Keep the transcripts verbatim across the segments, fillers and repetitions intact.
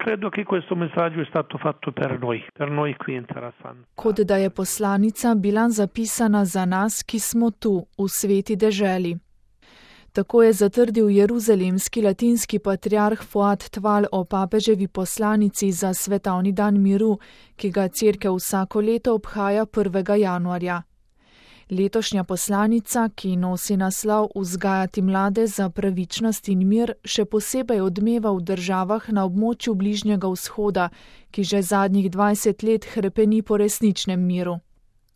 credo che questo messaggio è stato fatto per noi, per noi qui in Terra Santa. Kot da je poslanica bila zapisana za nas, ki smo tu, v sveti deželi. Tako je zatrdil jeruzalemski latinski patriarh Fuad Tval o papeževi poslanici za svetovni dan miru, ki ga cerkev vsako leto obhaja prvega januarja. Letošnja poslanica, ki nosi naslov Vzgajati mlade za pravičnost in mir, še posebej odmeva v državah na območju Bližnjega vzhoda, ki že zadnjih dvajset let hrepeni po resničnem miru.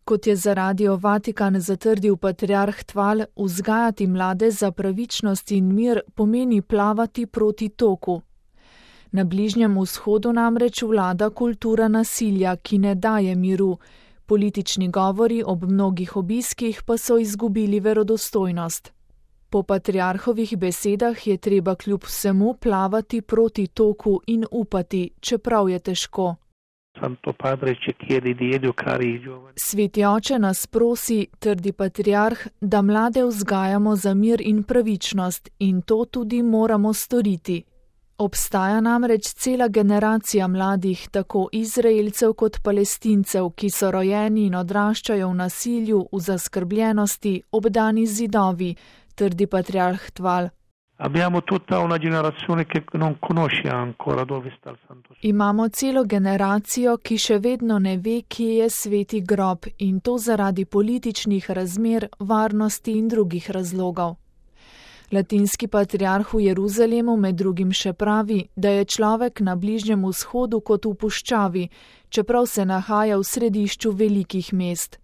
Kot je za Radio Vatikan zatrdil patriarh Tval, vzgajati mlade za pravičnost in mir pomeni plavati proti toku. Na Bližnjem vzhodu namreč vlada kultura nasilja, ki ne daje miru. Politični govori ob mnogih obiskih pa so izgubili verodostojnost. Po patriarhovih besedah je treba kljub vsemu plavati proti toku in upati, čeprav je težko. Sveti oče nas prosi, trdi patriarh, da mlade vzgajamo za mir in pravičnost in to tudi moramo storiti. Obstaja namreč cela generacija mladih, tako Izraelcev kot Palestincev, ki so rojeni in odraščajo v nasilju, v zaskrbljenosti, obdani z zidovi, trdi patriarh Tval. Imamo celo generacijo, ki še vedno ne ve, kje je sveti grob, in to zaradi političnih razmer, varnosti in drugih razlogov. Latinski patriarh v Jeruzalemu med drugim še pravi, da je človek na Bližnjem vzhodu kot v puščavi, čeprav se nahaja v središču velikih mest.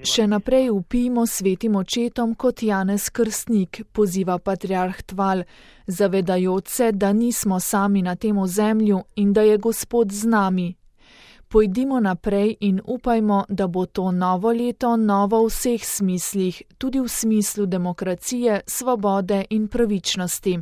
Še naprej vpijmo svetim očetom kot Janez Krstnik, poziva patriarh Tval, zavedajoč se, da nismo sami na tem ozemlju in da je Gospod z nami. Pojdimo naprej in upajmo, da bo to novo leto novo v vseh smislih, tudi v smislu demokracije, svobode in pravičnosti.